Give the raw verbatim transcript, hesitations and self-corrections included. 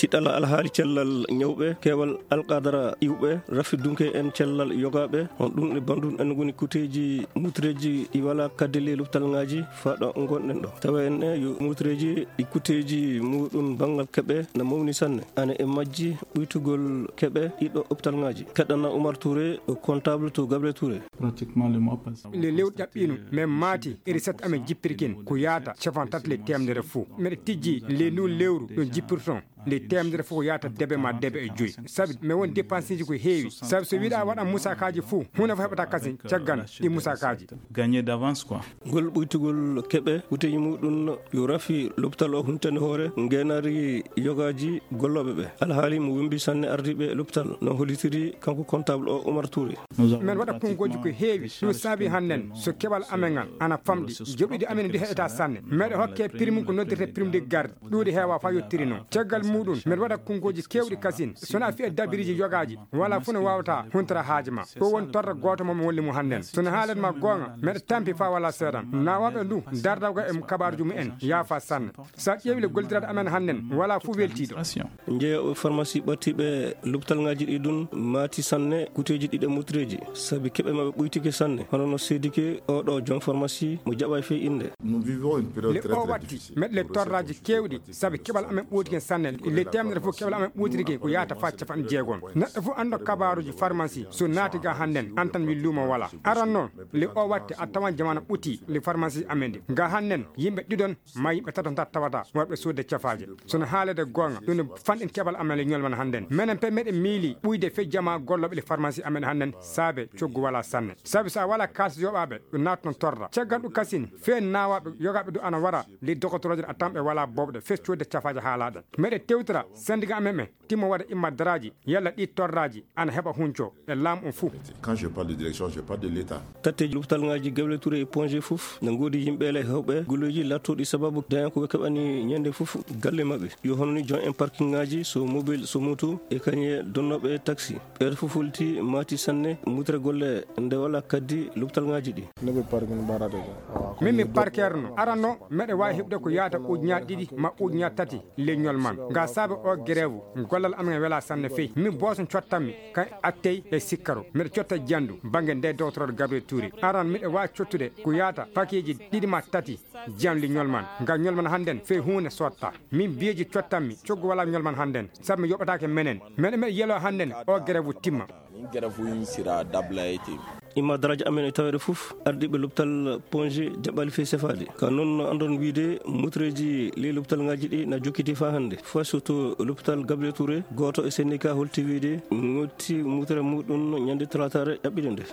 Tiɗɗal alhaali cellal ñawɓe, keewal alqadara iwɓe, rafi dunke en cellal yogaaɓe, on ɗum e banndum en ngoni kuteeji mutreeji ɗi walaa kadde ley loptal ŋaaji faa ɗo ngonɗen ɗo. Tawa en e yo mutreeji ɗi kuteeji muɗum banngal keɓe na mawni sanne. Ana e majji ɓuytugol keɓe ɗiɗo optal ŋaaji. Keɗɗana Umar Touré, o comptable to Gabriel Touré. Pratiquement le mois passé. Le lewru ƴaɓɓiino, men maati iri set amen jippirkin ko yaata capanɗe tati le teemedere fof. Meɗe tijji le ndu lewru ɗum jippirton. Nde teemedere fof ko yaata debe ma debe e joyi. Sabi mi won dépenseji ko heewi. Sabi so wiɗa waɗa musakaaji fof, huunde fof heɓata kasin caggal ɗi musakaaji. Gagner d'avance quoi. Ngol ɓuytugol keɓe, wuteji muɗum yo rafi lopital o huntani hoore ngeenaari yogaaji gollooɓe ɓe. Alhaali mo wembi sanne ardiiɓe lopital, no hollitiri kanko comptable o Umar Touré. Men waɗa konngooji ko heewi, ɗum saabi hannden so keɓal amen ngal ana famɗi, joɓɗiɗi amen ndi heɓata sanne. Meɗe hokke prime ko noddirte prime de garde, ɗuuɗi heewa faa yottiri noon. Caggal muɗum, meɗe waɗa konngooji keewɗi kasin, so na fiya dabiriji yogaaji, wala fof no waawata huntira haaji ma. Ɗo woni torra gooto mo mi wolli mo hannden. So no haalan ma goonga, meɗe tampi faa wala seeɗan. Nawaaɓe ndu, dardawga e kabaaruji mumen, yaafa sanne. Sa ƴeewi le gollidiraaɗo amen hannden, wala fof weltiiɗo. Jeeyooɓe farmasi ɓattiiɓe lopital ŋaaji ɗi ɗum maati sanne kuteeji ɗiɗe mutreeji, sabi keɓe maɓɓe ɓuytike sanne, hono no seedike oɗo joom farmasi mo jaɓaay fey innde. Nous vivons une période Le très, o très watti, difficile meɗe le pour torraaji recevoir keewɗi, sabi keɓal amen ɓootiken sanne, le teemedere fof keɓal amen ɓootirike ko yaata faa capanɗe jeegom. Neɗɗo fof anndo kabaaruji farmasi, so naati ga hannden, an tan wi luumo wala. Aran noon, le o watti a tawan jamaana ɓuti, le farmasi amen ɗi. Ga hannden, yimɓe ɗiɗon ma yimɓe tato ntat tawata, worɓe soodde cafaaje. So no haalede goonga, ɗum no fanɗin keɓal amen le ñolman hannden. Menen pe meɗe miili ɓuyde fe jama gollooɓe le farmasi amen hannden, saabe coggu wala sanne. Sabi so a wala kaalis yoɓaaɓe, ɗum naata noon torra. Caggal ɗum kasin, fe nawaaɓe yogaaɓe du ana wara, le dogotorooje a tan ɓe wala bobɗe, fe soodde cafaaje haalaaɗe. Meɗe tewtira, sendiga amen ɓe, timmo waɗa imma daraaji, yalla ɗi torraaji, ana heɓa hunco, e laamu on fuu. Quand je parle de direction, je parle de l'État. Tatteeji lopital ŋaaji Gabriel Touré e Ponge fof, na ngoodi yimɓe le hewɓe golleeji laatooɗi sababu daña ko ɓe keɓani ñande fof galle maɓɓe. Yo hono ni joom en parking ŋaaji, so mobile, so moto, e kañe donnooɓe taxi. Ɓeeɗo fof holti maati sanne mutre golle nde wala kaddi lopital ŋaaji ɗi. Min mi parker no. Aran no, meɗe waawi heɓde ko yaata ujunaaji ɗiɗi ma ujunaaji tati le ñolman. Nga saabe o grève, gollal amen wela sanne fey. Min booso cottanmi, kan attey e sikkaro. Meɗe cotta jandu, bannge nde docteur Gabriel Touré. Aran miɗe waawi cottude ko yaata pakeeji ɗiɗi ma tati, jam li ñolman. Nga ñolman hannden, fey huunde sotta. Min biyeeji cottanmi, coggu wala ñolman hannden. Sabu mi yoɓataake menen. Meɗe meɗe yelo hannden, o grève timma. Nin grève in sira dabla ete. Imma daraaji amen e taweede fof, ardiiɓe lopital Ponge jaɓɓaali fey sefaade. Ka noon no anndon wiide, mutreeji ley lopital ŋaaji ɗi na jokkiti faa hannde. Faa so to lopital Gabriel Touré, gooto e syndicat holti wiide, ŋotti mutre muɗum ñande talaataare ƴaɓɓiɗe nde.